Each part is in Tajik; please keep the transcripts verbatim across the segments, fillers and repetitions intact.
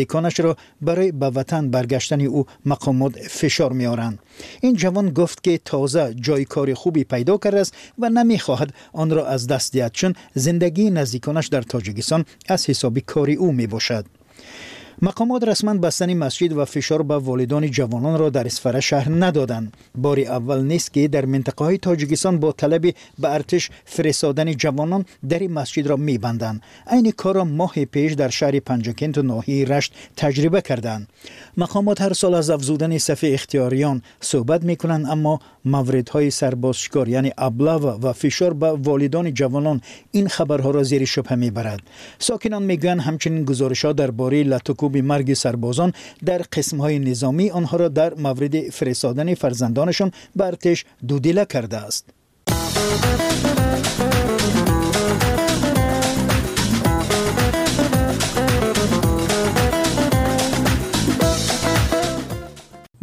Наздиконашро барои ба ватан баргаштани ӯ мақомот фишор меоранд. Ин ҷавон гуфт, ки тоза ҷои кори хубе пайдо кардааст ва намехоҳад онро аз даст диҳад, чун зиндагии наздиконаш дар Тоҷикистон аз ҳисоби кори ӯ мебошад. Мақомот расман бастани масҷид ва фишор ба волидони ҷавононро дар Исфара шарҳ надоданд. Бори аввал нест, ки дар минтақаҳои Тоҷикистон бо талаби ба артиш фиристодани ҷавонон дари масҷидро мебанданд. Айни корро моҳи пеш дар шаҳри Панҷакенту ноҳияи Рашт таҷриба карданд. Мақомот ҳар сол аз афзудани сафи ихтиёриён суҳбат мекунанд, аммо мавридҳои сарбозшикор, яъне облава, ва фишор ба волидони ҷавонон ин хабарҳоро зери шубҳа мебарад. Сокинон мегӯянд, ҳамчунин гузоришҳо дар бораи латукӯби марги сарбозон дар қисмҳои низомӣ онҳоро дар мавриди фиристодани фарзандонашон ба артиш дудила кардааст.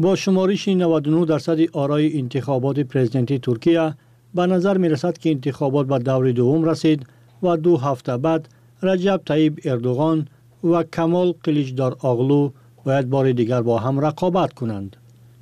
Бо шумориши наваду нӯҳ дарсади орои интихоботи президентии Туркия ба назар мерасад, ки интихобот ба даври дуввум расид ва ду ҳафта баъд Раҷаб Таиб Эрдуғон ва Камол Қиличдор Оғлу бояд бори дигар бо ҳам рақобат кунанд.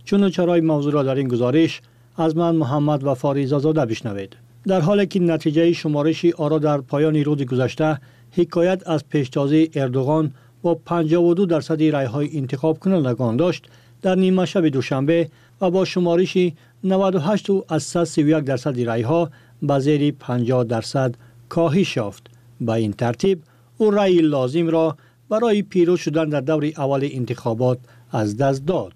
Чуну чарои мавзӯъро дар ин гузориш аз ман, Муҳаммад Вафори Изозода, бишнавед. Дар ҳоле ки натиҷаи шумориши оро дар поёни рӯзи гузашта ҳикоят аз пештозии Эрдуғон бо панҷоҳу ду дарсади райҳои интихобкунандагон дошт, дар нимашаби душанбе ва бо шумориши наваду ҳашт аз сад сию як дарсади райҳо ба зери панҷоҳ дарсад коҳиш ёфт. Ба ин тартиб ӯ раъи лозимро барои пирӯз шудан дар даври аввали интихобот аз даст дод.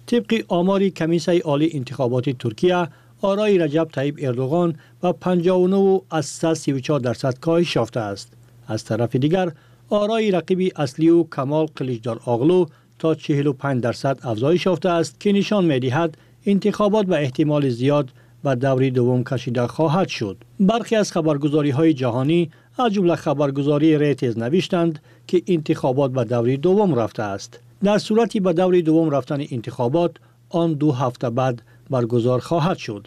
Тибқи омори Комиссияи олии интихоботи Туркия, орои Раҷаб Таиб Эрдуғон ба панҷоҳу нӯҳ аз сад сию чор дарсад коҳиш ёфтааст. Аз тарафи дигар, орои рақиби аслии ӯ, Камол Қиличдор Оғлу, то чиҳилу панҷ дарсад афзоиш ёфтааст, ки нишон медиҳад интихобот ба эҳтимоли зиёд ба даври дуввум кашида хоҳад шуд. Бархе аз хабаргузориҳои ҷаҳонӣ, аз ҷумла хабаргузории Рейтерз, навиштанд, ки интихобот ба даври дуввум рафтааст. Дар сурати ба даври дуввум рафтани интихобот, он ду ҳафта баъд баргузор хоҳад шуд.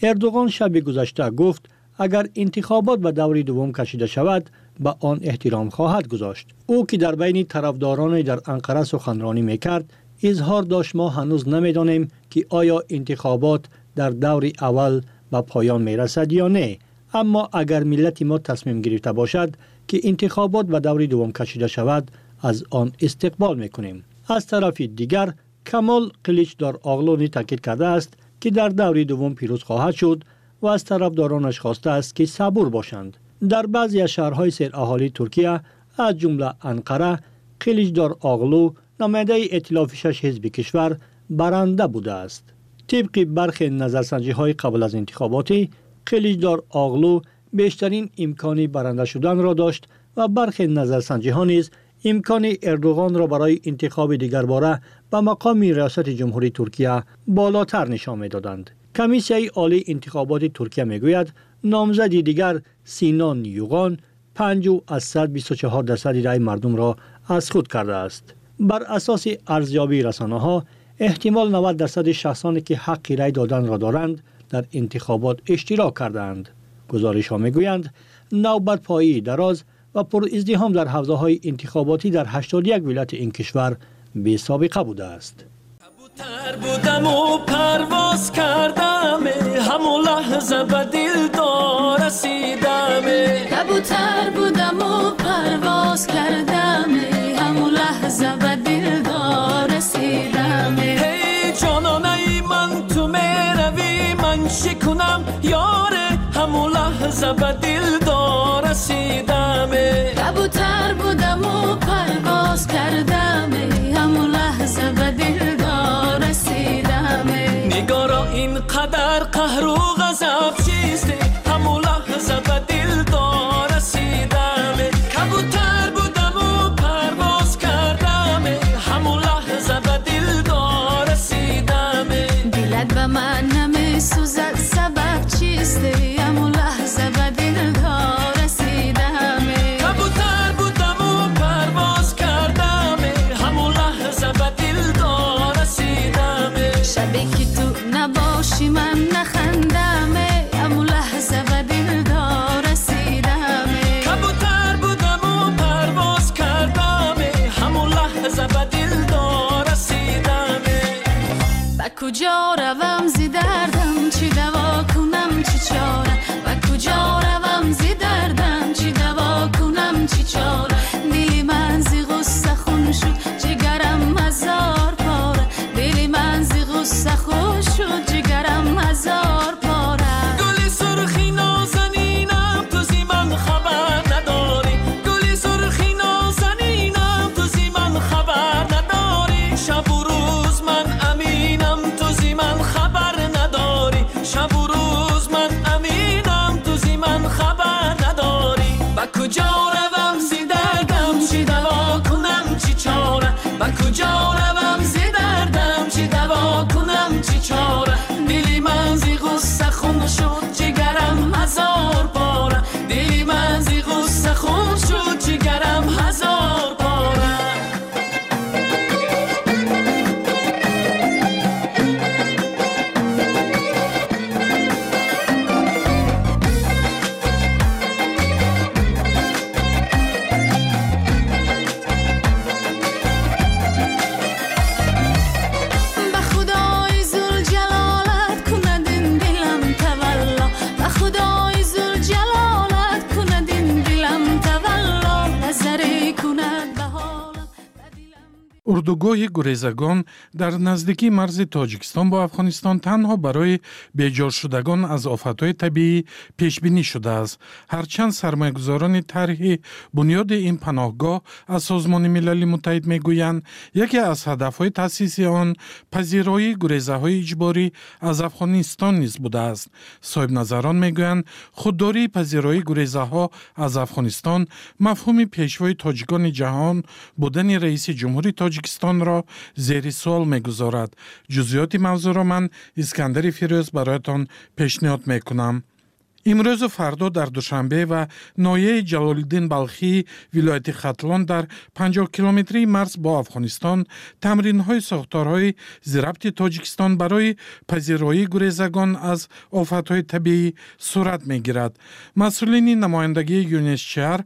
Эрдуғон шаби гузашта гуфт, агар интихобот ба даври дуввум кашида шавад, ба он эҳтиром хоҳад гузошт. Ӯ, ки дар байни тарафдороне дар Анқара суханронӣ мекард, изҳор дошт: «Мо ҳанӯз намедонем, ки оё интихобот дар даври аввал ба поён мерасад ё не, аммо агар миллати мо тасмим гирифта бошад, ки интихобот ба даври дуввум кашида шавад, аз он истиқбол мекунем». Аз тарафи дигар, Камол Қиличдор Оғлу таъкид кардааст, ки дар даври дуввум пирӯз хоҳад шуд ва аз тарафдоронаш хостааст, ки сабур бошанд. Дар баъзе аз шаҳрҳои сераҳолии Туркия, аз ҷумла Анқара, Қиличдор Оғлу, намояндаи эътилофи шаш ҳизби кишвар, баранда будааст. Тибқи бархе назарсанҷиҳои қабл аз интихоботӣ, Қиличдор Оғлу бештарин имкони баранда шуданро дошт ва бархе назарсанҷиҳо низ имкони Эрдуғонро барои интихоби дигарбора ба мақоми риёсати ҷумҳурии Туркия болотар нишон медоданд. Комиссияи олии интихоботи Туркия мегӯяд, номзади дигар, Синон Юғон, панҷ аз сад бисту чор дарсади раъи мардумро аз худ кардааст. Бар асоси арзёбии расонаҳо, эҳтимол навад дарсади шахсоне, ки ҳаққи рай доданро доранд, дар интихобот иштирок кардаанд. Гузоришҳо мегӯянд, навбатпоии дароз ва пуриздиҳом дар ҳавзаҳои интихоботӣ дар ҳаштоду як вилояти ин кишвар бесобиқа будааст. Кабутар будаму парвоз кардам, ҳамун лаҳза ба дилдор расидам. Кабутар будаму парвоз кардам, ҳамун лаҳза ба дилдор расидам. Эй ҷононаи ман, ту меравӣ, ман чӣ кунам, ёре? Ҳамун лаҳза ба дилдор расидам. Кабутар будаму парвоз кардам, ҳамун лаҳза ба дилдор расидам. Нигоро, ин қадар қаҳру ғазаб чист? Ҳамун лаҳза ба дилдор расидам. Кабутар будаму парвоз кардам, ҳамун лаҳза ба дилдор расидам. Дилат ба ман намесӯзад, сабаб чист? Ҳамун лаҳза ба дилдор расидам. Кабутар будаму Куҷо равам зи дардам, чӣ даво кунам, чӣ чора? Ба куҷо равам зи дардам, чӣ даво кунам, чӣ чора? Дили ман зи ғусса хун шуд, ҷигарам ҳазор пора. Дили ман зи ғусса хун шуд, ҷигарам ҳазор пора. Гули сурхи нозанинам, ту зи ман хабар надорӣ. Гули сурхи нозанинам, ту зи ман хабар надорӣ. Шабу рӯз ман аминам, ту зи ман хабар надорӣ. Шабу рӯз ман аминам, ту зи ман хабар надорӣ. Ба куҷо равам зи дардам, чӣ даво кунам, чӣ чора? Ба куҷо равам зи дардам, чӣ даво кунам, чӣ чора? Дили ман зи ғусса хун шуд, ҷигарам ҳазор пора. Дили ман зи ғусса хун шуд, ҷигарам ҳазор пора. Ба худои зулҷалолат кунад ин дилам тавалло. Ба худои зулҷалолат кунад ин дилам тавалло. Назаре кунад ба ҳолам, ба дилам. Урдугоҳи гурезагон дар наздикии марзи Тоҷикистон бо Афғонистон танҳо барои беҷоршудагон аз офатҳои табиӣ пешбинӣ шудааст. Ҳарчанд сармоягузорони тарҳи бунёди ин паноҳгоҳ аз Созмони Милали Муттаҳид мегӯянд, яке аз ҳадафҳои таъсиси он пазироии гурезаҳои иҷборӣ аз Афғонистон низ будааст. Соҳибназарон мегӯянд, худдории пазироии гурезаҳо аз Афғонистон мафҳуми пешвои тоҷикони ҷаҳон будани раиси ҷумҳури Тоҷикистонро зери суол мегузорад. Ҷузъиёти мавзӯъро ман Искандари Фирӯз бароятон пешниҳод мекунам. Имрӯзу фардо дар Душанбе ва ноҳияи Ҷалолиддин Балхии вилояти Хатлон дар панҷоҳ километрии марз бо Афғонистон тамринҳои сохторҳои зирабти Тоҷикистон барои пазироии гурезагон аз офатҳои табиӣ сурат мегирад. Масъулини намояндагии ЮНСЧР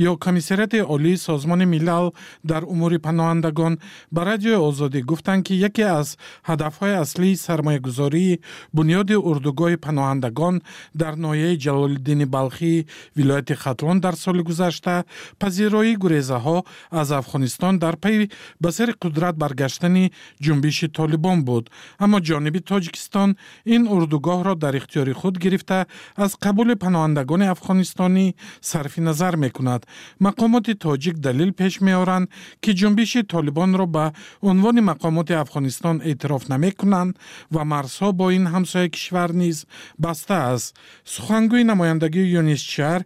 ё Комиссариати Олии Созмони Милал дар умури паноҳандагон ба Радиои Озодӣ гуфтанд, ки яке аз ҳадафҳои аслии сармоягузории бунёди урдугоҳи паноҳандагон дар ноҳияи Ҷалолиддини Балхии вилояти Хатлон дар соли гузашта пазироии гурезаҳо аз Афғонистон дар пайи ба сари қудрат баргаштани ҷунбиши Толибон буд. Аммо ҷониби Тоҷикистон ин урдугоҳро дар ихтиёри худ гирифта аз қабули паноҳандагони афғонистонӣ сарфи назар мекунад. Мақомоти тоҷик далел пеш меоранд, ки ҷунбиши Толибонро ба унвони мақомоти Афғонистон эътироф намекунанд ва марзҳо бо ин ҳамсоя кишвар низ баста аст. Сухангӯи намояндагии ЮНСЧР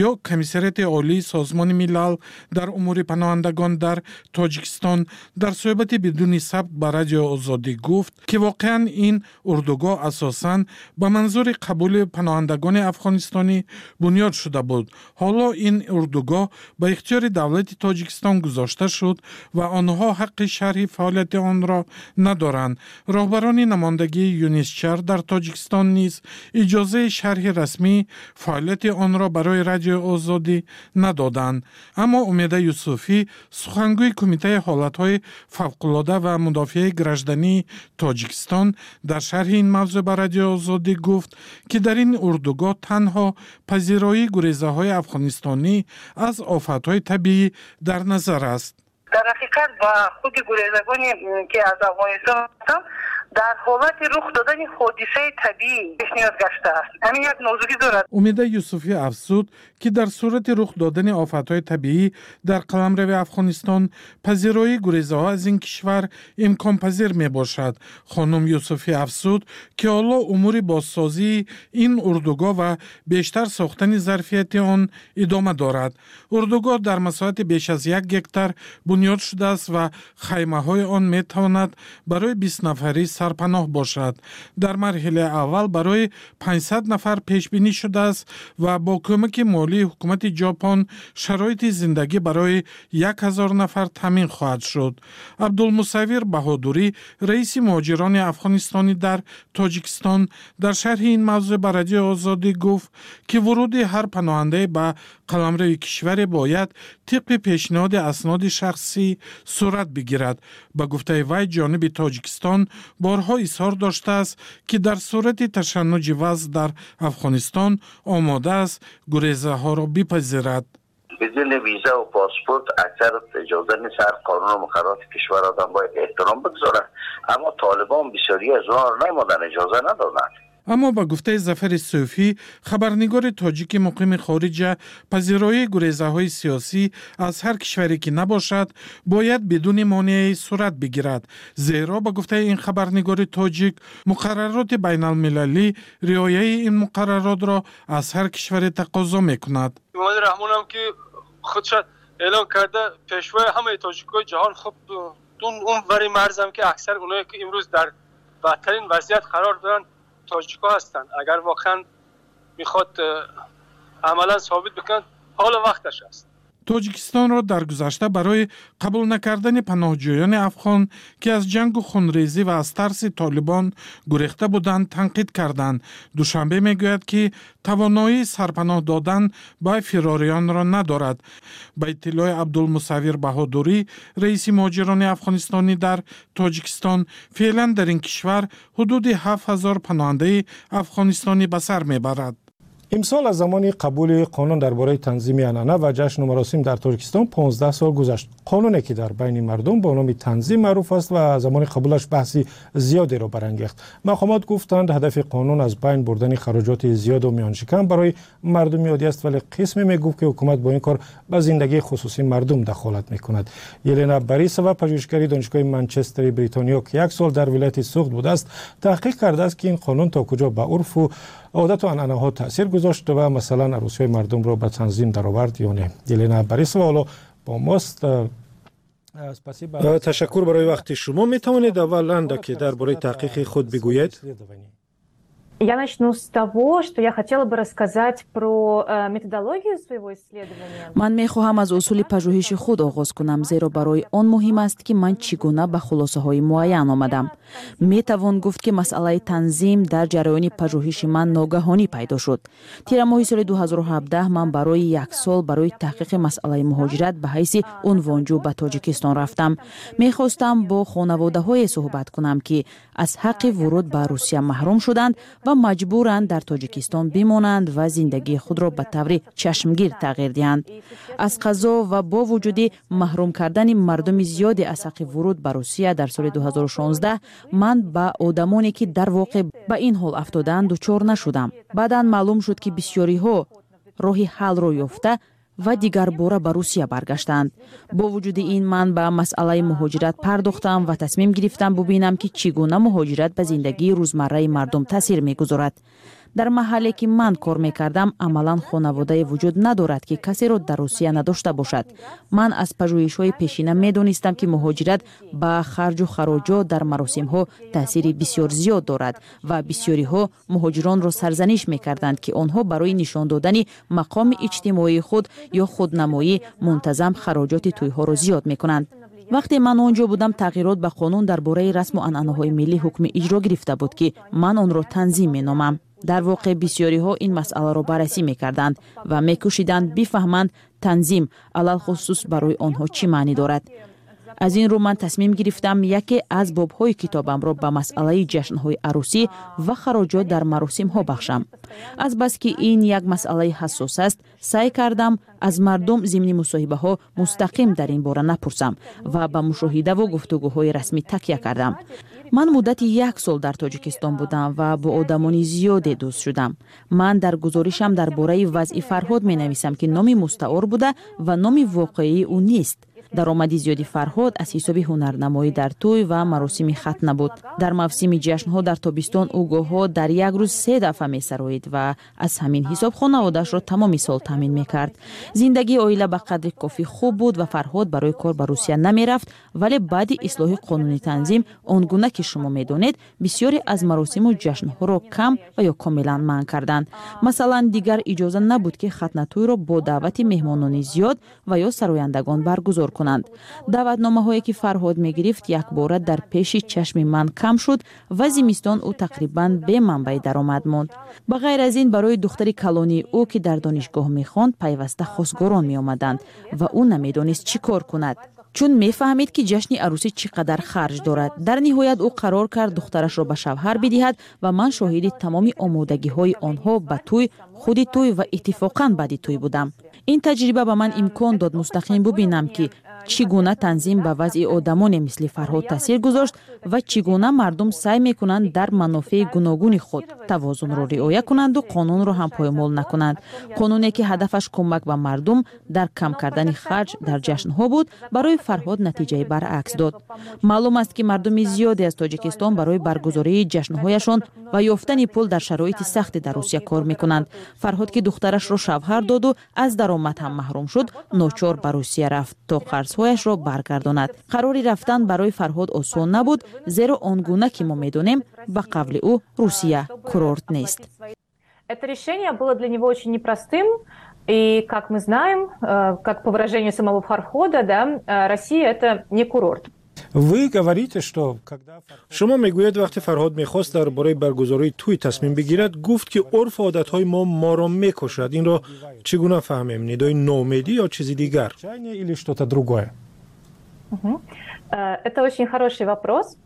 ё Комиссариати Олии Созмони Милал дар умури паноҳандагон дар Тоҷикистон дар суҳбати бидуни сабт ба Радиои Озодӣ гуфт, ки воқеан ин урдугоҳ асосан ба манзури қабули паноҳандагони афғонистонӣ бунёд шуда буд. Ҳоло ин урдугоҳ ба ихтиёри давлати Тоҷикистон гузошта шуд ва онҳо ҳаққи шарҳи фаъолияти онро надоранд. Роҳбарони намояндагии ЮНСЧР дар Тоҷикистон низ иҷозаи шарҳи расмӣ фаъолияти онро барои Радиои Озодӣ надоданд. Аммо Умеда Юсуфӣ, сухангӯи Кумитаи ҳолатҳои фавқулода ва мудофиаи граждании Тоҷикистон, дар шарҳи ин мавзӯъ ба Радиои Озодӣ гуфт, ки дар ин урдугоҳ танҳо пазироии гурезаҳои афғонистонӣ аз офатҳои табиӣ дар назар аст. Дар ҳақиқат ба худи гурезагоне ки аз Афғонистон ҳастанд, дар ҳолати рух додани ҳодисаи табиӣ пешниҳод гаштааст. Ҳамин як нозукӣ дорад. Умеда Юсуфӣ афзуд, ки дар сурати рух додани офатҳои табиӣ дар қаламрави Афғонистон пазироии гурезаҳо аз ин кишвар имконпазир мебошад. Хонум Юсуфӣ афзуд, ки ҳоло умури бозсозии ин урдугоҳ ва бештар сохтани зарфияти он идома дорад. Урдугоҳ дар масоҳати беш аз як гектар бунёд шудааст ва хаймаҳои он метавонад барои бист нафарӣ сарпаноҳ бошад. Дар марҳилаи аввал барои панҷсад нафар пешбинӣ шудааст ва бо кӯмаки молии ҳукумати Ҷопон шароити зиндагӣ барои як ҳазор нафар таъмин хоҳад шуд. Абдулмусаввир Баҳодурӣ, раиси муҳоҷирони афғонистонӣ дар Тоҷикистон, дар шарҳи ин мавзӯъ ба Радиои Озодӣ гуфт, ки вуруди ҳар паноҳандае ба қаламрави кишваре бояд тибқи пешниҳоди асноди шахсӣ сурат бигирад. Ба гуфтаи вай, ҷониби Тоҷикистон бо Борҳо изҳор доштааст, ки дар сурати ташаннуҷи вазъ дар Афғонистон омода аст гурезаҳоро бипазирад. بدون ویزا و پاسپورت اکثر اجازه نیست. هر قانون و مقررات کشور آدم باید احترام بگذاره، اما طالبان بسیاری از اونها رو نمادن، اجازه ندادن. Аммо ба гуфтаи Зафари Сӯфӣ, хабарнигори тоҷики муқими хориҷа, пазироии гурезаҳои сиёсӣ аз ҳар кишваре ки набошад, бояд бидуни монеае сурат бигирад, зеро ба гуфтаи ин хабарнигори тоҷик, муқаррароти байналмилалӣ риояи ин муқарраротро аз ҳар кишваре тақозо мекунад. Эмомалӣ Раҳмонам ки худша эълон карда пешвои ҳамаи тоҷикои ҷаҳон, хуб, он вари марзам ки аксар оное ки имрӯз дар бадтарин вазъият қарор доранд, тоҷикҳо ҳастанд. Агар воқеан мехоҳад амалан собит бикунад, ҳоло вақташ аст. Тоҷикистонро дар гузашта барои қабул накардани паноҳҷӯёни афғон, ки аз ҷангу хунрезӣ ва аз тарси толибон гурехта буданд, танқид карданд. Душанбе мегӯяд, ки тавоноии сарпаноҳ додан ба фирорионро надорад. Ба иттилои Абдулмусаввир Баҳодурӣ, раиси муҳоҷирони афғонистонӣ дар Тоҷикистон, феълан дар ин кишвар ҳудуди ҳафт ҳазор паноҳандаи афғонистонӣ ба сар мебарад. Имсол аз замони қабули қонун дар бораи танзими анъана ва ҷашну маросим дар Тоҷикистон понздаҳ сол гузашт. Қонуне ки дар байни мардум бо номи танзим маъруф аст ва замони қабулаш баҳси зиёдеро барангехт. Мақомот гуфтанд, ҳадафи қонун аз байн бурдани хароҷоти зиёду миёншикан барои мардуми оддӣ аст, вале қисме мегуфт, ки ҳукумат бо ин кор ба зиндагии хусусии мардум дахолат мекунад. Елена Борисова, пажӯҳишгари Донишгоҳи Манчестери Бритониё, ки як сол дар вилояти Суғд будааст, таҳқиқ кардааст, ки ин қонун то куҷо ба урфу одату анъанаҳо таъсир гузошт ва масалан арӯсиҳои мардумро ба танзим даровард ё не. Елена Борисова ҳоло бо мост. Ташаккур барои вақти шумо. Метавонед аввал андаке дар бораи таҳқиқи худ бигӯед? Я начну с того, что я хотела бы рассказать про э, методологию своего исследования. Ман мехоҳам аз усули пажӯҳиши худ оғоз кунам, зеро барои он муҳим аст, ки ман чӣ гуна ба хулосаҳои муайян омадам. Метавон гуфт, ки масъалаи танзим дар ҷараёни пажӯҳиши ман ногаҳонӣ пайдо шуд. Тирамоҳи соли ду ҳазору ҳабдаҳ ман барои як сол барои таҳқиқи масъалаи муҳоҷират ба ҳайси унвонҷӯ ба Тоҷикистон рафтам. Мехостам бо хонаводаҳое суҳбат кунам, ки аз ҳаққи вуруд ба Русия маҳрум шуданд ва маҷбуранд дар Тоҷикистон бимонанд ва зиндагии худро ба таври чашмгир тағйир диҳанд. Аз қазо ва бо вуҷуди маҳрум кардани мардуми зиёде аз ҳаққи вуруд ба Русия дар соли ду ҳазору шонздаҳ, ман ба одамоне, ки дар воқеъ ба ин ҳол афтодаанд, дучор нашудам. Баъдан маълум шуд, ки бисёриҳо роҳи ҳаллро ёфта ва дигарбора ба Русия баргаштанд. Бо вуҷуди ин, ман ба масъалаи муҳоҷират пардохтам ва тасмим гирифтам бубинам, ки чӣ гуна муҳоҷират ба зиндагии рӯзмарраи мардум таъсир мегузорад. Дар маҳалле, ки ман кор мекардам, амалан хонаводае вуҷуд надорад, ки касеро дар Русия надошта бошад. Ман аз пажӯҳишҳои пешина медонистам, ки муҳоҷират ба харҷу хароҷот дар маросимҳо таъсири бисёр зиёд дорад ва бисёриҳо муҳоҷиронро сарзаниш мекарданд, ки онҳо барои нишон додани мақоми иҷтимоии худ ё худнамоӣ мунтазам хароҷоти тӯйҳоро зиёд мекунанд. Вақте ман он ҷо будам, тағйирот ба қонун дар бораи расму анъанаҳои миллӣ ҳукми иҷро гирифта буд, ки ман онро танзим меномам. Дар воқеъ, бисёриҳо ин масъаларо баррасӣ мекарданд ва мекӯшиданд бифаҳманд, танзим алалхусус барои онҳо чӣ маънӣ дорад. Аз ин рӯ ман тасмим гирифтам яке аз бобҳои китобамро ба масъалаи ҷашнҳои арӯсӣ ва хароҷот дар маросимҳо бахшам. Азбаски ин як масъалаи ҳассос аст, саъй кардам аз мардум зимни мусоҳибаҳо мустақим дар ин бора напурсам ва ба мушоҳидаву гуфтугӯҳои расмӣ такя кардам. Ман муддати як сол дар Тоҷикистон будам ва бо одамони зиёде дӯст шудам. Ман дар гузоришам дар бораи вазъи Фарҳод менависам, ки номи мустаор буда ва номи воқеии ӯ нест. Даромади зиёди Фарҳод аз ҳисоби ҳунарнамоӣ дар тӯй ва маросими хатна буд. Дар мавсими ҷашнҳо дар тобистон ӯ гоҳҳо дар як рӯз се дафъа месароид ва аз ҳамин ҳисоб хонаводаашро тамоми сол таъмин мекард. Зиндагии оила ба қадри кофӣ хуб буд ва Фарҳод барои кор ба Русия намерафт. Вале баъди ислоҳи қонуни танзим, он гуна ки шумо медонед, бисёре аз маросиму ҷашнҳоро кам ва ё комилан манъ карданд. Масалан, дигар иҷоза набуд, ки хатнатӯйро бо даъвати меҳмонони зиёд ва ё сарояндагон баргузор кунанд. Даъватномаҳое, ки Фарҳод мегирифт, якбора дар пеши чашми ман кам шуд ва зимистон ӯ тақрибан беманбаи даромад монд. Ба ғайр аз ин, барои духтари калонии ӯ, ки дар донишгоҳ мехонд, пайваста хостгорон меомаданд ва ӯ намедонист чӣ кор кунад. Чун мефаҳмид, ки ҷашни арӯсӣ чӣ қадар харҷ дорад. Дар ниҳоят ӯ қарор кард духтарашро ба шавҳар бидиҳад ва ман шоҳиди тамоми омодагиҳои онҳо ба тӯй, худи тӯй ва иттифоқан баъди тӯй будам. Ин таҷриба ба ман имкон дод мустақим бубинам, ки чӣ гуна танзим ба вазъи одамоне мисли Фарҳод таъсир гузошт ва чӣ гуна мардум саъй мекунанд дар манофеи гуногуни худ тавозунро риоя кунанду қонунро ҳам поймол накунанд. Қонуне, ки ҳадафаш кӯмак ба мардум дар кам кардани харҷ дар ҷашнҳо буд, барои Фарҳод натиҷаи баръакс дод. Маълум аст, ки мардуми зиёде аз Тоҷикистон барои баргузории ҷашнҳояшон ва ёфтани пул дар шароити сахте дар Русия кор мекунанд. Фарҳод, ки духтарашро шавҳар доду аз даромад ҳам маҳрум шуд, ночор ба Русия рафт, то қарзҳояшро баргардонад. Қарори рафтан барои Фарҳод осон набуд, зеро он гуна ки мо медонем, ба қавли ӯ, Русия курорт нест. Это решение было для него очень непростым. И, как мы знаем, э, как по выражению самого Фархода, да, э, Россия – это не курорт. Вы говорите, что когда Шумо мегӯед, вақте Фарҳод мехост дар бораи баргузории тӯй тасмим бигирад, гуфт, ки урфу одатҳои мо моро мекушад. Инро чӣ гуна фаҳмем: нидои ноумедӣ ё чизи дигар? Или что-то другое? Э, это очень хороший вопрос.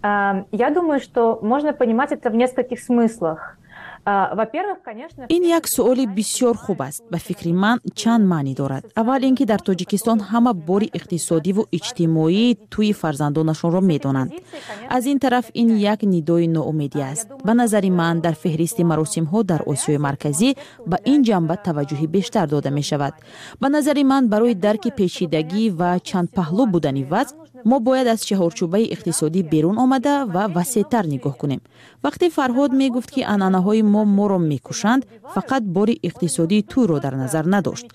Э, я думаю, что можно понимать это в нескольких смыслах. Ин як суоли бисёр хуб аст. Ба фикри ман, чанд маънӣ дорад. Аввал ин ки дар Тоҷикистон ҳама бори иқтисодиву иҷтимоии тӯи фарзандонашонро медонанд. Аз ин тараф, ин як нидои ноумедӣ аст. Ба назари ман, дар феҳристи маросимҳо дар Осиёи Марказӣ ба ин ҷанба таваҷҷӯҳи бештар дода мешавад. Ба назари ман, барои дарки печидагӣ ва чандпаҳлӯ будани вазъ мо бояд аз чаҳорчӯбаи иқтисодӣ берун омада ва васеътар нигоҳ кунем. Вақте Фарҳод мегуфт, ки анъанаҳои мо моро мекушанд, фақат бори иқтисодии тӯйро дар назар надошт.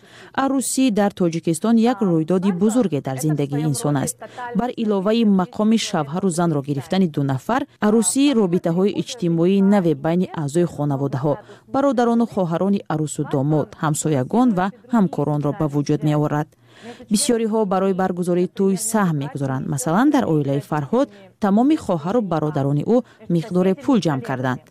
Арӯсӣ дар Тоҷикистон як рӯйдоди бузурге дар зиндагии инсон аст. Бар иловаи мақоми шавҳару занро гирифтани ду нафар, арӯсӣ робитаҳои иҷтимоии наве байни аъзои хонаводаҳо, бародарону хоҳарони арӯсу домод, ҳамсоягон ва ҳамкоронро ба вуҷуд меорад. Бисёриҳо барои баргузории тӯй саҳм мегузоранд. Масалан, дар оилаи Фарҳод тамоми хоҳару бародарони ӯ миқдоре пул ҷамъ карданд.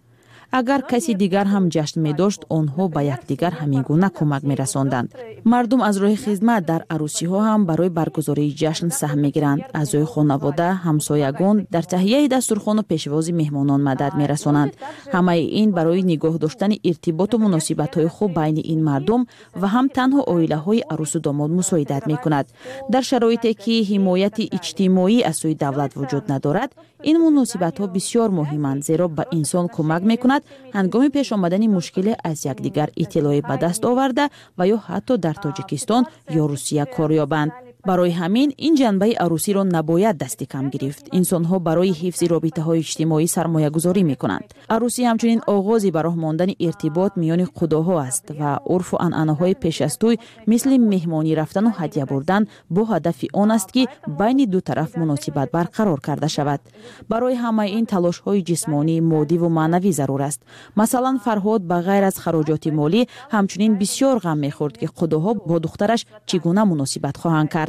Агар каси дигар ҳам ҷашн медошт, онҳо ба якдигар ҳамин гуна кӯмак мерасонданд. Мардум аз роҳи хизмат дар арӯсиҳо ҳам барои баргузории ҷашн саҳм мегиранд. Аъзои хонавода, ҳамсоягон дар таҳияи дастурхону пешвози меҳмонон мадад мерасонанд. Ҳамаи ин барои нигоҳ доштани иртиботу муносибатҳои хуб байни ин мардум ва ҳам танҳо оилаҳои арӯсу домод мусоидат мекунад. Дар шароите ки ҳимояти иҷтимоӣ аз сӯи давлат вуҷуд надорад, ин муносибатҳо бисёр муҳиманд, зеро ба инсон кӯмак мекунад ҳангоми пеш омадани мушкиле аз якдигар иттилоъе ба даст оварда ва ё ҳатто дар Тоҷикистон ё Русия кор ёбанд. Барои ҳамин ин ҷанбаи арӯсиро набояд дасти кам гирифт. Инсонҳо барои ҳифзи робитаҳои иҷтимоӣ сармоягузорӣ мекунанд. Арӯсӣ ҳамчунин оғози ба роҳ мондани иртибот миёни қудоҳо аст ва урфу анъанаҳои пеш аз тӯй, мисли меҳмонӣ рафтану ҳадя бурдан, бо ҳадафи он аст, ки байни ду тараф муносибат барқарор карда шавад. Барои ҳамаи ин талошҳои ҷисмонӣ, моддиву маънавӣ зарур аст. Масалан, Фарҳод ба ғайр аз хароҷоти молӣ ҳамчунин бисёр ғам мехӯрд, ки қудоҳо бо духтараш чӣ гуна муносибат хоҳанд кард.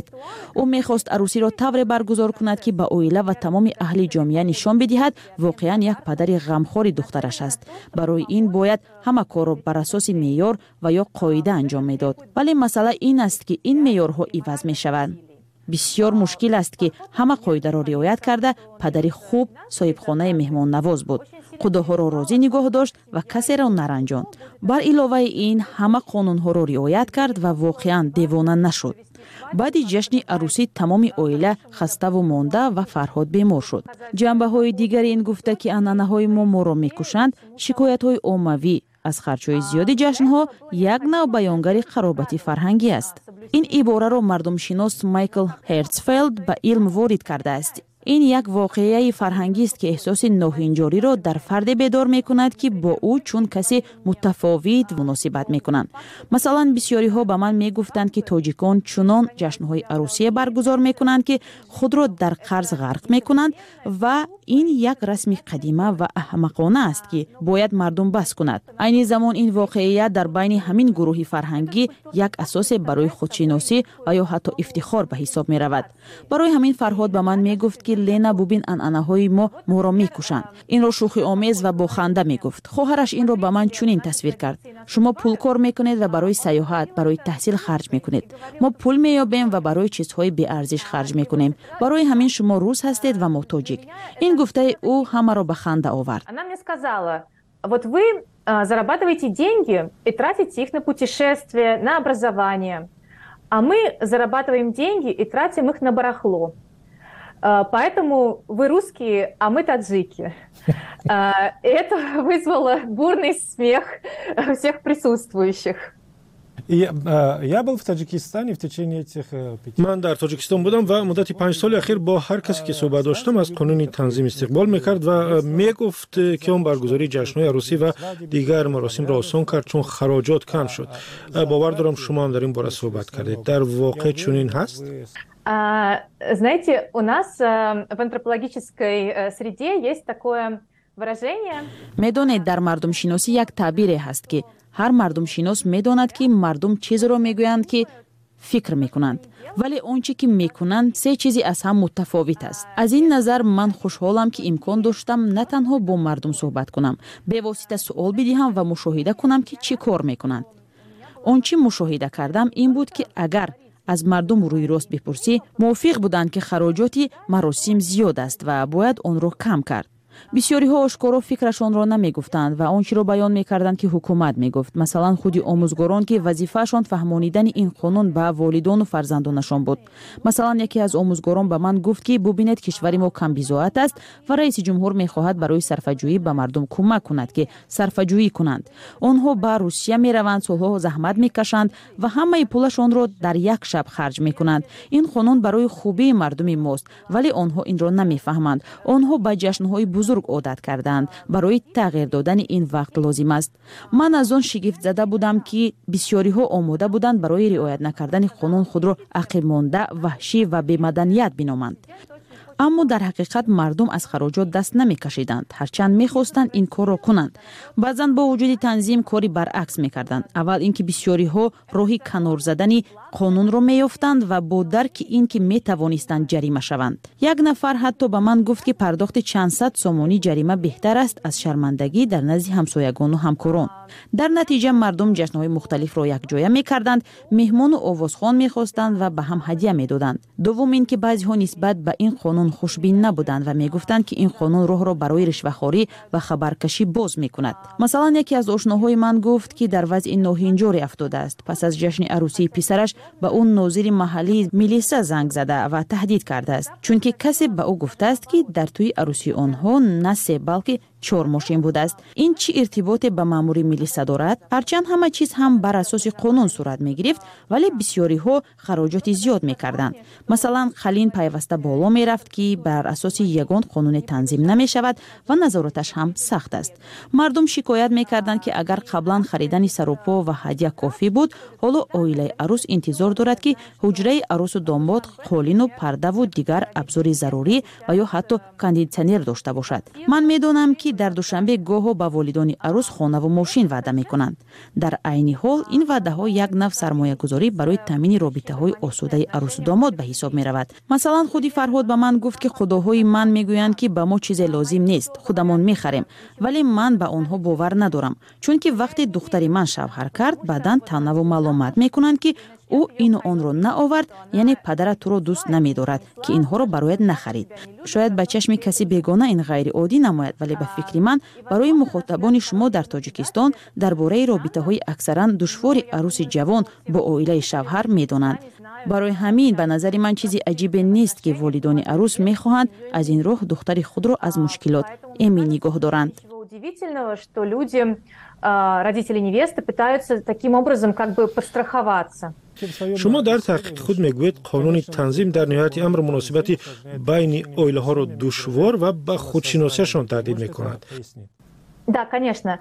Ӯ мехост арӯсиро тавре баргузор кунад, ки ба оила ва тамоми аҳли ҷомеа нишон бидиҳад, воқеан як падари ғамхори духтараш аст. Барои ин бояд ҳама корро бар асоси меъёр ва ё қоида анҷом медод. Вале масъала ин аст, ки ин меъёрҳо иваз мешаванд. Бисёр мушкил аст, ки ҳама қоидаро риоят карда падари хуб, соҳибхонаи меҳмоннавоз буд, қудоҳоро розӣ нигоҳ дошт ва касеро наранҷонд. Бар иловаи ин, ҳама қонунҳоро риоят кард ва воқеан девона нашуд. Баъди ҷашни арӯсӣ тамоми оила хаставу монда ва Фарҳод бемор шуд. Ҷанбаҳои дигари ин гуфта, ки анъанаҳои мо моро мекушанд, шикоятҳои оммавӣ аз харҷҳои зиёди ҷашнҳо як нав баёнгари қаробати фарҳангӣ аст. Ин ибораро мардумшинос Майкл Хертсфелд ба илм ворид кардааст. Ин як воқеаи фарҳангист, ки эҳсоси ноҳинҷориро дар фарде бедор мекунад, ки бо ӯ чун касе мутафовит муносибат мекунанд. Масалан, бисёриҳо ба ман мегуфтанд, ки тоҷикон чунон ҷашнҳои арӯсие баргузор мекунанд, ки худро дар қарз ғарқ мекунанд, ва ин як расми қадима ва аҳмақона аст, ки бояд мардум бас кунад. Айни замон ин воқеият дар байни ҳамин гурӯҳи фарҳангӣ як асосе барои худшиносӣ ва ё ҳатто ифтихор ба ҳисоб меравад. Барои ҳамин Фарҳод ба ман мегуфт, ки ки Лена, бубин, анъанаҳои мо моро мекушанд. Инро шӯхиомез ва бо ханда мегуфт. Хоҳараш инро ба ман чунин тасвир кард: шумо пул кор мекунед ва барои сайёҳат, барои таҳсил харҷ мекунед, мо пул меёбем ва барои чизҳои беарзиш харҷ мекунем. Барои ҳамин шумо рус ҳастед ва мо тоҷик. Ин гуфтаи ӯ ҳамаро ба ханда овард. Она мне сказала: вот вы зарабатываете деньги и тратите их на путешествия, на образование, а мы зарабатываем деньги и тратим их на барахло. Поэтому вы русские, а мы таджики. Это вызвало бурный смех всех присутствующих. Я был в Таджикистане в течение этих пяти. Ман дар Тоҷикистон будам ва муддати панҷ соли ахир бо ҳар касе ки суҳбат доштам, аз қонуни танзим истиқбол мекард ва мегуфт, ки он баргузории ҷашнҳои арӯсӣ ва дигар маросимро осон кард, чун хароҷот кам шуд. Бовар дорам, шумо ҳам дар ин бора суҳбат кардед. Дар воқеъ чунин ҳаст? Знаете, у нас в антропологической среде есть такое выражение. Медонед, дар мардумшиносӣ як таъбире ҳаст, ки ҳар мардумшинос медонад, ки мардум чизеро мегӯянд, ки фикр мекунанд, вале он чӣ ки мекунанд, се чизи аз ҳам мутафовит аст. Аз ин назар ман хушҳолам, ки имкон доштам на танҳо бо мардум суҳбат кунам, бевосита суол бидиҳам ва мушоҳида кунам, ки чӣ кор мекунанд. Он чӣ мушоҳида кардам, ин буд, ки агар аз мардум рӯйрост бипурсӣ, мувофиқ буданд, ки хароҷоти маросим зиёд аст ва бояд онро кам кард. Бисёриҳо ошкоро фикрашонро намегуфтанд ва он чиро баён мекарданд, ки ҳукумат мегуфт. Масалан, худи омӯзгорон, ки вазифаашон фаҳмонидани ин қонун ба волидону фарзандонашон буд. Масалан, яке аз омӯзгорон ба ман гуфт, ки бубинед, кишвари мо камбизоат аст ва раиси ҷумҳур мехоҳад барои сарфаҷӯӣ ба мардум кӯмак кунад, ки сарфаҷӯӣ кунанд. Онҳо ба Русия мераванд, солҳо заҳмат мекашанд ва ҳамаи пулашонро дар як шаб харҷ мекунанд. Ин қонун барои хубии мардуми мост, вале онҳо инро намефаҳманд. Онҳо ба ҷашнҳои бузург одат кардаанд, барои тағйир додани ин вақт лозим аст. Ман аз он шигифтзада будам, ки бисёриҳо омода буданд барои риоят накардани қонун худро ақибмонда, ваҳшӣ ва бемаданият биноманд. Аммо дар ҳақиқат мардум аз хароҷот даст намекашиданд, ҳарчанд мехостанд ин корро кунанд. Баъзан бо вуҷуди танзим кори баръакс мекарданд. Аввал ин ки бисёриҳо роҳи канор задани қонунро меёфтанд ва бо дарки ин ки метавонистанд ҷарима шаванд. Як нафар ҳатто ба ман гуфт, ки пардохти чандсад сомонӣ ҷарима беҳтар аст аз шармандагӣ дар назди ҳамсоягону ҳамкорон. Дар натиҷа мардум ҷашнҳои мухталифро якҷоя мекарданд, меҳмону овозхон мехостанд ва ба ҳам ҳадя медоданд. Дуввум ин ки баъзеҳо нисбат ба ин қонун хушбин набуданд ва мегуфтанд, ки ин қонун роҳро барои ришвахорӣ ва хабаркашӣ боз мекунад. Масалан, яке аз ошноҳои ман гуфт, ки дар вазъи ноҳинҷоре афтодааст. Пас аз ҷашни арӯсии писараш ба ӯ нозири маҳаллии милиса занг зада ва таҳдид кардааст, чунки касе ба ӯ гуфтааст, ки дар тӯи арӯсии онҳо на се, балки чор мошин будааст. Ин чӣ иртиботе ба маъмури милиса дорад? Ҳарчанд ҳама чиз ҳам бар асоси қонун сурат мегирифт, вале бисёриҳо хароҷоти зиёд мекарданд. Масалан, қалин пайваста боло мерафт, ки бар асоси ягон қонуне танзим намешавад ва назораташ ҳам сахт аст. Мардум шикоят мекарданд, ки агар қаблан харидани сарупо ва ҳадя кофӣ буд, ҳоло оилаи арӯс интизор дорад, ки ҳуҷраи арӯсу домод қолину пардаву дигар абзори зарурӣ ва ё ҳатто кондитсионер дошта бошад. Ман медонам, ки дар Душанбе гоҳо ба волидони арӯс хонаву мошин ваъда мекунанд. Дар айни ҳол ин ваъдаҳо як нав сармоягузорӣ барои таъмини робитаҳои осудаи арӯсу домод ба ҳисоб меравад. Масалан, худи Фарҳод ба ман гуфт, ки худоҳои ман мегӯянд, ки ба мо чизе лозим нест, худамон мехарем, вале ман ба онҳо бовар надорам, чунки вақте духтари ман шавҳар кард, баъдан таънаву маломат мекунанд, ки ӯ ину онро наовард, яъне падарат туро дӯст намедорад, ки инҳоро барояд нахарид. Шояд ба чашми каси бегона ин ғайриоддӣ намояд, вале ба фикри ман барои мухотабони шумо дар Тоҷикистон дар бораи робитаҳои аксаран душвори арӯси ҷавон бо оилаи шавҳар медонанд. Барои ҳамин ба назари ман чизи аҷибе нест, ки волидони арӯс мехоҳанд аз ин роҳ духтари худро аз мушкилот эмин нигоҳ доранд. Удивительного, что люди, родители невесты, пытаются таким образом как бы подстраховаться. Шумо дар таҳқиқи худ мегӯед, қонуни танзим дар ниҳояти амр муносибати байни оилаҳоро душвор ва ба худшиносиашон таҳдид мекунад. Да, конечно.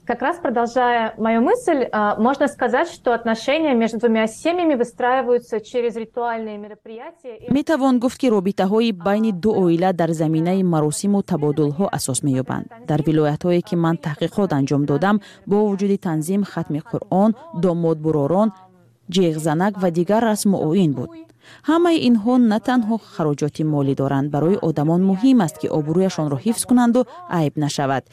Как раз продолжая мою мысль, можно сказать, что отношения между двумя семьями выстраиваются через ритуальные мероприятия. Метавон гуфт, ки робитаҳои байни ду оила дар заминаи маросиму табодулҳо асос меёбанд. Дар вилоятҳое, ки ман таҳқиқот анҷом додам, бо вуҷуди танзим, хатми Қуръон, домодбуророн, ҷеғзанак ва дигар расму оин буд. Ҳамаи инҳо на танҳо хароҷоти молӣ доранд. Барои одамон муҳим аст, ки обрӯяшонро ҳифз кунанду айб нашавад.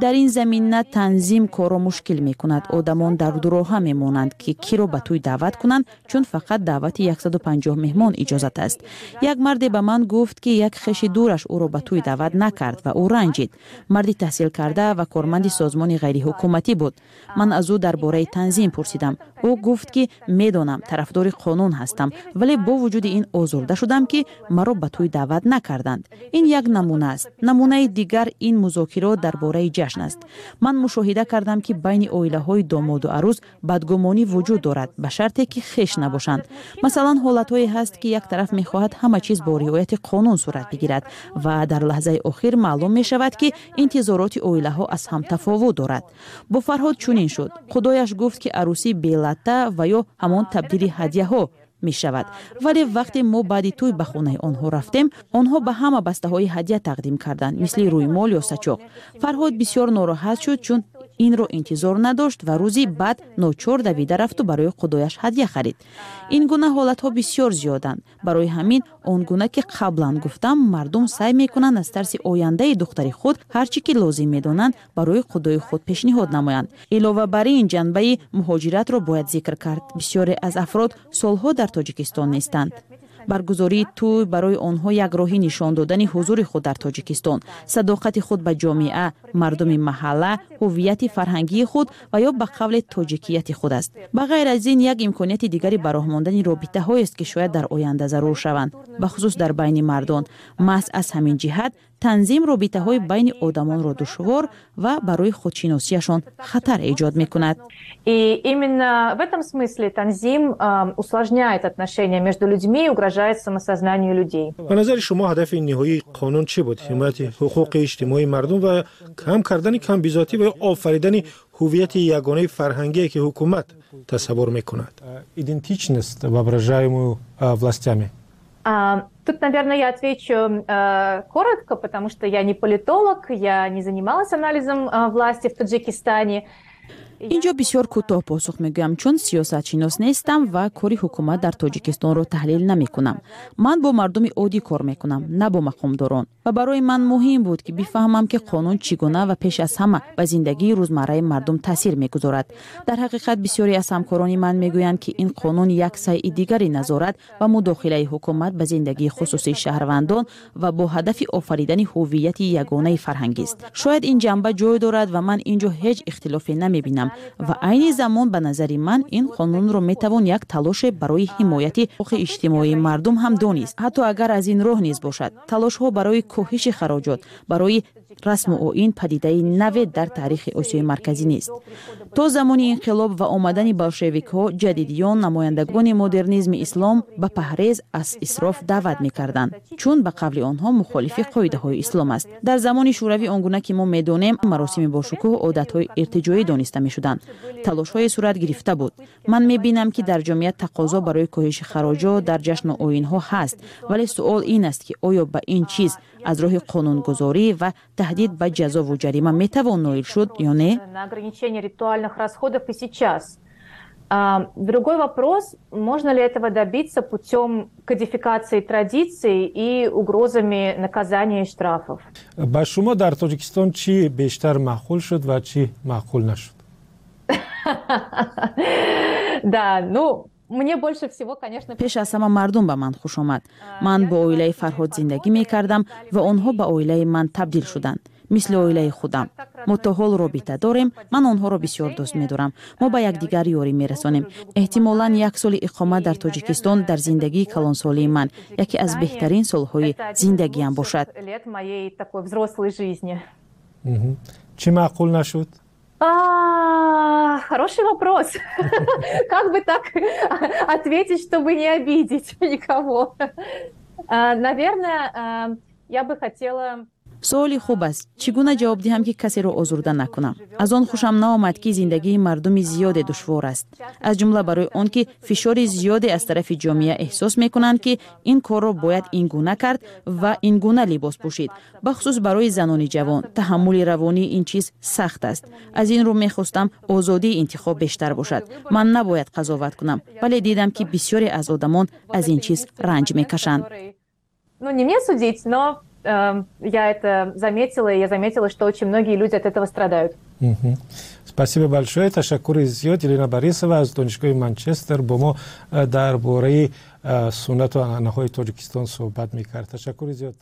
Дар ин замина танзим корро мушкил мекунад. Одамон дар дуроҳа мемонанд, ки киро ба тӯй даъват кунанд, чун фақат даъвати яксаду панҷоҳ меҳмон иҷозат аст. Як марде ба ман гуфт, ки як хеши дураш ӯро ба тӯй даъват накард ва ӯ ранҷид. Марди таҳсилкарда ва корманди созмони ғайриҳукуматӣ буд. Ман аз ӯ дар бораи танзим пурсидам. Ӯ гуфт, ки медонам, тарафдори қонун ҳастам, вале бо вуҷуди ин озурда шудам, ки маро ба тӯй даъват накарданд. Ин як намуна аст. Намунаи дигар ин музокирот дар бораи ҷашн аст. Ман мушоҳида кардам, ки байни оилаҳои домоду арӯз бадгумонӣ вуҷуд дорад, ба шарте ки хеш набошанд. Масалан, ҳолатҳое ҳаст, ки як тараф мехоҳад ҳама чиз бо риояти қонун сурат бигирад ва дар лаҳзаи охир маълум мешавад, ки интизороти оилаҳо аз ҳам тафовут дорад. Бо Фарҳод чунин шуд. Худояш гуфт, ки арӯсӣ белатта ва ё ҳамон табдили ҳадяҳо мешавад, вале вақте мо баъди тӯй ба хонаи онҳо рафтем, онҳо ба ҳама бастаҳои ҳадя тақдим карданд, мисли рӯймол ё сачоқ. Фарҳод бисёр нороҳат шуд, чун инро интизор надошт ва рӯзи баъд ночор давида рафту барои худояш ҳадя харид. Ин гуна ҳолатҳо бисёр зиёданд. Барои ҳамин, он гуна ки қаблан гуфтам, мардум саъй мекунанд аз тарси ояндаи духтари худ ҳар чӣ ки лозим медонанд, барои худои худ пешниҳод намоянд. Илова бар ин, ҷанбаи муҳоҷиратро бояд зикр кард. Бисёре аз афрод солҳо дар Тоҷикистон нестанд. Баргузории тӯй барои онҳо як роҳи нишон додани ҳузури худ дар Тоҷикистон, садоқати худ ба ҷомеа, мардуми маҳалла, ҳуввияти фарҳангии худ ва ё ба қавле тоҷикияти худ аст. Ба ғайр аз ин, як имконияти дигари ба роҳ мондани робитаҳоест, ки шояд дар оянда зарур шаванд, бахусус дар байни мардон. Маҳз аз ҳамин ҷиҳат танзим робитаҳои байни одамонро душвор ва барои худшиносиашон хатар эҷод мекунад. И именно в этом смысле танзим усложняет отношения между людьми и угрожает самосознанию людей. Ба назари шумо, ҳадафи ниҳоии қонун чӣ буд? Ҳимояти ҳуқуқи иҷтимоии мардум ва кам кардани камбизоатӣ ва ё офаридани ҳуввияти ягонаи фарҳангие, ки ҳукумат тасаввур мекунад? Идентичность, воображаемую властями. Тут, наверное, я отвечу э, коротко, потому что я не политолог, я не занималась анализом э, власти в Таджикистане. Инҷо бисёр кӯтоҳ посух мегӯям, чун сиёсатшинос нестам ва кори ҳукумат дар Тоҷикистонро таҳлил намекунам. Ман бо мардуми оддӣ кор мекунам, на бо мақомдорон, ва барои ман муҳим буд, ки бифаҳмам, ки қонун чӣ гуна ва пеш аз ҳама ба зиндагии рӯзмарраи мардум таъсир мегузорад. Дар ҳақиқат, бисёре аз ҳамкорони ман мегӯянд, ки ин қонун як сайъи дигари назорат ва мудохилаи ҳукумат ба зиндагии хусусии шаҳрвандон ва бо ҳадафи офаридани ҳуввияти ягонаи фарҳангист. Шояд ин ҷанба ҷой дорад ва ман ин ҷо ҳеҷ ихтилофе намебинам. Ва айни замон, ба назари ман, ин қонунро метавон як талоше барои ҳимояти ҳуқуқи иҷтимоии мардум ҳам донист, ҳатто агар аз ин роҳ низ бошад. Талошҳо барои коҳиши хароҷот барои расму оин падидаи наве дар таърихи Осиёи Марказӣ нест. То замони инқилоб ва омадани болшевикҳо, ҷадидиён, намояндагони модернизми ислом ба паҳрез аз исроф даъват мекарданд, чун ба қавли онҳо мухолифи қоидаҳои ислом аст. Дар замони Шӯравӣ, он гуна ки мо медонем, маросими бошукӯҳ одатҳои иртиҷоӣ дониста мешуданд. Талошҳое сурат гирифта буд. Ман мебинам, ки дар ҷомеа тақозо барои коҳиши хароҷот дар ҷашну оинҳо ҳаст, вале суол ин аст, ки оё ба ин чиз аз роҳи қонунгузорӣ ва таҳдид ба ҷазову ҷарима метавон ноил шуд ё не. На ограничение ритуальных расходов и сейчас. Другой вопрос, можно ли этого добиться путем кодификации традиций и угрозами наказания и штрафов. Ба шумо дар Тоҷикистон чӣ бештар маъқул шуд ва чӣ маъқул нашуд? Да, ну, мне больше всего, конечно. Пеш аз ҳама мардум ба ман хуш омад. Ман бо оилаи Фарҳод зиндагӣ мекардам ва онҳо ба оилаи ман табдил шуданд, мисли оилаи худам. Мо то ҳол робита дорем. Ман онҳоро бисёр дӯст медорам. Мо ба якдигар ёрӣ мерасонем. Эҳтимолан, як соли иқомат дар Тоҷикистон дар зиндагии калонсолии ман яке аз беҳтарин солҳои зиндагиам бошад. Лет моей такой взрослой жизни. Чӣ маъқул нашуд? Хороший вопрос. Как бы так ответить, чтобы не обидеть никого? Наверное, я бы хотела. Суоли хуб аст. Чӣ гуна ҷавоб диҳам, ки касеро озурда накунам? Аз он хушам наомад, ки зиндагии мардуми зиёде душвор аст, аз ҷумла барои он ки фишори зиёде аз тарафи ҷомеа эҳсос мекунанд, ки ин корро бояд ин гуна кард ва ин гуна либос пӯшид. Бахусус барои занони ҷавон таҳаммули равонии ин чиз сахт аст. Аз ин рӯ мехостам озодии интихоб бештар бошад. Ман набояд қазоват кунам, вале дидам, ки бисёре аз одамон аз ин чиз ранҷ мекашанд. Ну, не мне судить, но э, я это заметила, и я заметила, что очень многие люди от этого страдают. Спасибо большое. Ташаккури зиёд. Елена Борисова аз Донишгоҳи Манчестер бо мо дар бораи суннату анъанаҳои Тоҷикистон суҳбат мекард. Ташаккури зиёд.